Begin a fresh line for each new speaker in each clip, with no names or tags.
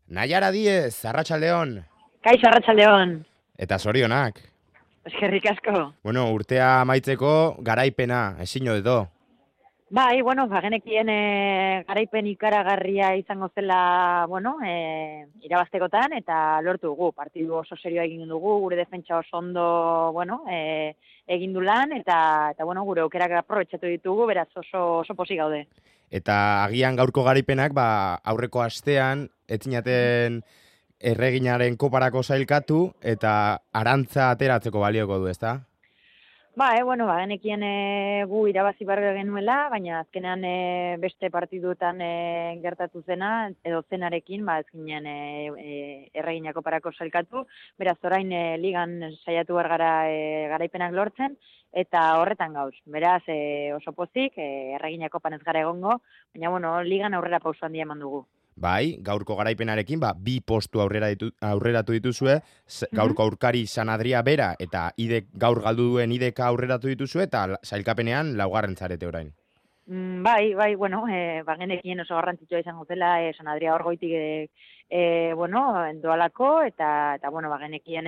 Naiara Diez, Arratsaldeon.
Kaixo, Arratsaldeon.
Eta zorionak.
Eskerrik asko.
Bueno, urtea amaitzeko garaipena, ezin edo.
Bai, bagenekien garaipen ikaragarria izango zela, irabaztekotan, eta lortu dugu. Partidu oso serioa egin dugu, gure defentsa oso ondo, egin du lan, eta gure aukerak aprobetxatu ditugu, beraz oso pozik gaude.
Eta agian gaurko garaipenak, aurreko astean, etzinaten erreginaren koparako sailkatu, eta arantza ateratzeko balioko du, ezta?
Bagenekien gu irabazi barra genuela, baina azkenean beste partiduetan gertatu zena, edo zenarekin, ez ginen erreginako parako sailkatu, beraz orain ligan saiatu gara garaipenak lortzen, eta horretan gauz. Beraz oso pozik, erreginako panez gara egongo, baina ligan aurrera pauso handia eman dugu.
Bai, gaurko garaipenarekin, bi postu aurreratu dituzue, gaurko aurkari San Adria bera, eta gaur galdu duen ideka aurreratu dituzue, eta sailkapenean laugarren zarete orain.
Bagenekien oso garrantzitsua izango zela, San Adria hor goitik doalako, eta bagenekien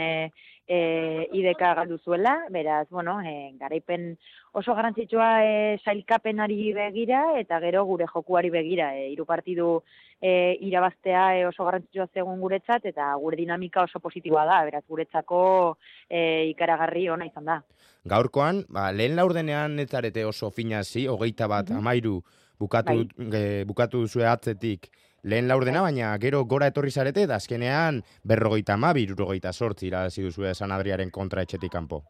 ideka galdu zuela, beraz, garaipen oso garrantzitsua sailkapenari begira, eta gero gure jokuari begira, hiru partidu irabaztea oso garrantzitsua zegoen guretzat, eta gure dinamika oso positiboa da, beraz guretzako ikaragarri ona izan da.
Gaurkoan, lehen laurdenean ez zarete oso finazi, 21-13 bukatu duzue atzetik lehen laurdena, baina gero gora etorri zarete, da azkenean 52-68 irabazi duzue San Adriaren kontra etxetik kanpo.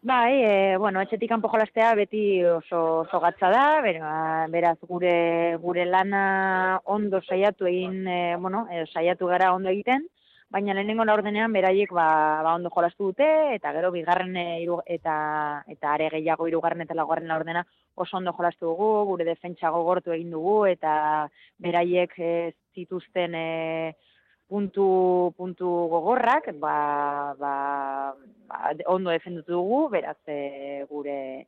Etxetik kanpo jolastea beti oso gatza da, beraz gure lana ondo saiatu egin, saiatu gara ondo egiten, baina lehenengo laurdenean beraiek ondo jolastu dute, eta gero bigarren eta are gehiago hirugarren eta laugarren laurdena oso ondo jolastu dugu, gure defentsa gogortu egin dugu, eta beraiek zituzten puntu gogorrak, ondo defendutu dugu, beraz gure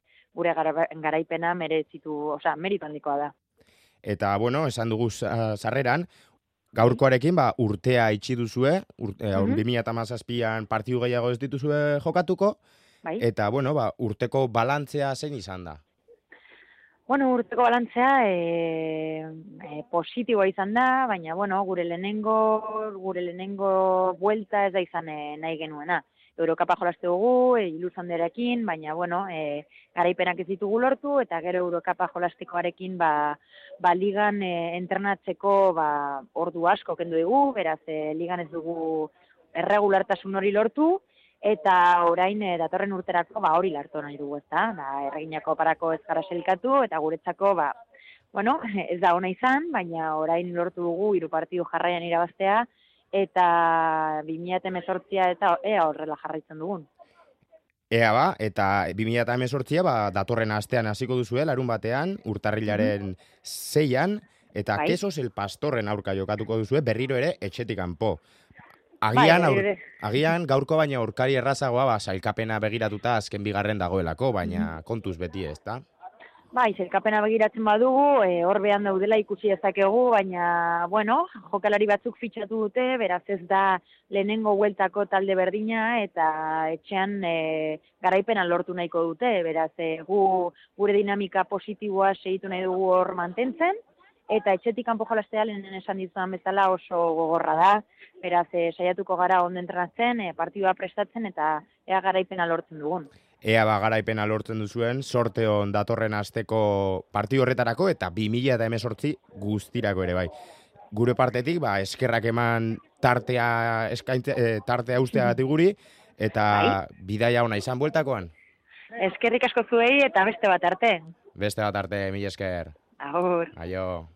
garaipena meritu handikoa da.
Eta, esan dugu sarreran, gaurkoarekin urtea itxi duzue, 2017an partidu gehiago ez dituzue jokatuko, eta urteko balantzea zein izan da?
Urteko balantzea positiboa izan da, baina gure lehenengo buelta ez da izan nahi genuena. Eurokapa jolaste dugu, iluzanderakin, baina garaipenak ez ditugu lortu, eta gero Eurokapa jolastekoarekin ligan entrenatzeko ordu asko kendu dugu, beraz ligan ez dugu erregulartasun hori lortu, eta orain datorren urterako hori lartu nahi dugu, ezta? Erreginako parako ez gara sailkatu, eta guretzako ez da ona izan, baina orain lortu dugu 3 partidu jarraian irabaztea, eta 2018 eta horrela jarraitzen dugun.
Eta 2018 datorren astean hasiko duzue, larun batean, urtarrilaren 6an, eta Quesos el Pastorren aurka jokatuko duzue, berriro ere etxetik kanpo. Agian gaurko baina aurkari errazagoa sailkapena begiratuta azken bigarren dagoelako, baina kontuz beti ez da?
Sailkapena begiratzen badugu, hor behan daudela ikusi dezakegu, baina, jokalari batzuk fitxatu dute, beraz ez da lehenengo bueltako talde berdina, eta etxean garaipenan lortu nahiko dute, beraz gure dinamika positiboa segitu nahi dugu hor mantentzen, eta etxetik kanpo jolastea lehenen esan dizudan bezala oso gogorra da, beraz saiatuko gara ondo entrenatzen, partidua prestatzen, eta ea garaipena lortzen dugun.
Garaipena lortzen duzuen, sorteon datorren asteko partidu horretarako, eta 2018 guztirako ere bai. Gure partetik, eskerrak eman tartea usteagatik guri, eta bidaia ona izan bueltakoan.
Eskerrik asko zuei, eta beste bat arte.
Beste bat arte, mila esker.
Agur.
Aio.